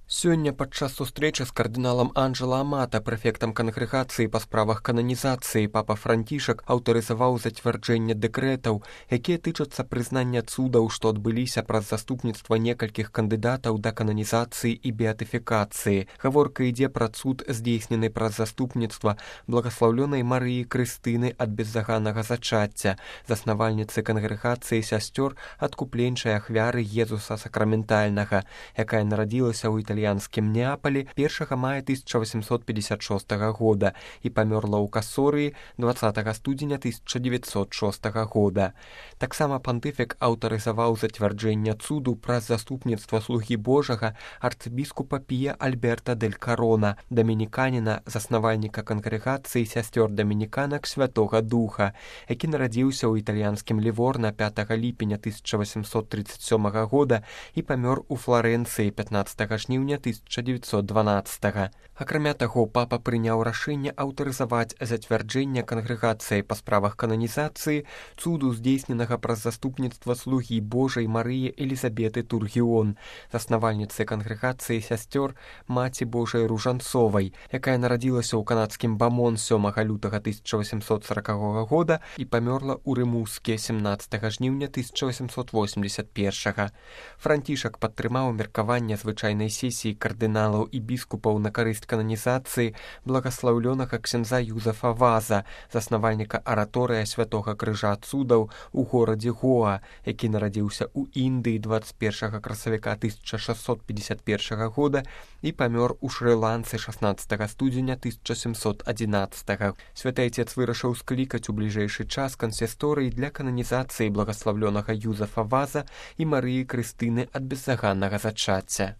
Сёння падчас сустрэчы з кардыналам Анджела Амата, прэфектам кангрэгацыі па справах кананізацыі, папа Францішак аўтарызаваў зацвярджэнне дэкрэтаў, якія тычацца прызнання цудаў, што адбыліся праз заступніцтва некалькіх кандыдатаў да кананізацыі і беатыфікацыі. Гаворка ідзе пра цуд, здзейснены праз заступніцтва благаслаўлёнай Марыі Крыстыны ад беззаганнага зачацця, заснавальніцы кангрэгацыі сясцёр адкупленчай ахвяры Езуса Сакраментальнага, якая нарадзілася ў італьянскім Неапалі 1 мая 1856 года і памёрла ў Касорыі 20 студзеня 1906 года. Таксама пантыфік аўтарызаваў зацвярджэнне цуду праз заступніцтва слугі Божага арцыбіскупа Пія Альберта дель Карона, дамініканіна, заснавальніка кангрэгацыі сясцёр дамініканак Святога Духа, які нарадзіўся ў італьянскім Ліворна 5 ліпеня 1837 года і памёр у Фларэнцыі 15 жніўня 1912. Акрамя таго, папа прыняў рашэнне аўтарызаваць зацвярджэнне кангрэгацыі па справах кананізацыі цуду, здзейсненага праз заступніцтва слугі Божай Марыі Элізабеты Тургіон, заснавальніцы кангрэгацыі сясцёр Маці Божай Ружанцовай, якая нарадзілася ў канадскім Бамон 7 лютага 1840 года і памёрла ў Рымуске 17 жніўня 1881. Францішак падтрымаў меркаванне звычайнай сесіі кардыналаў і біскупаў на карысць кананізацыі благаслаўлёнага ксяндза Юзафа Ваза, заснавальніка араторыя Святога Крыжа цудаў у горадзе Гоа, які нарадзіўся ў Індыі 21 красавіка 1651 года і памёр у Шры-Ланцы 16 студзеня 1711. Святы Айцец вырашыў склікаць у бліжэйшы час кансісторыі для кананізацыі благаслаўлёнага Юзафа Ваза і Марыі Крыстыны ад беззаганнага зачацця.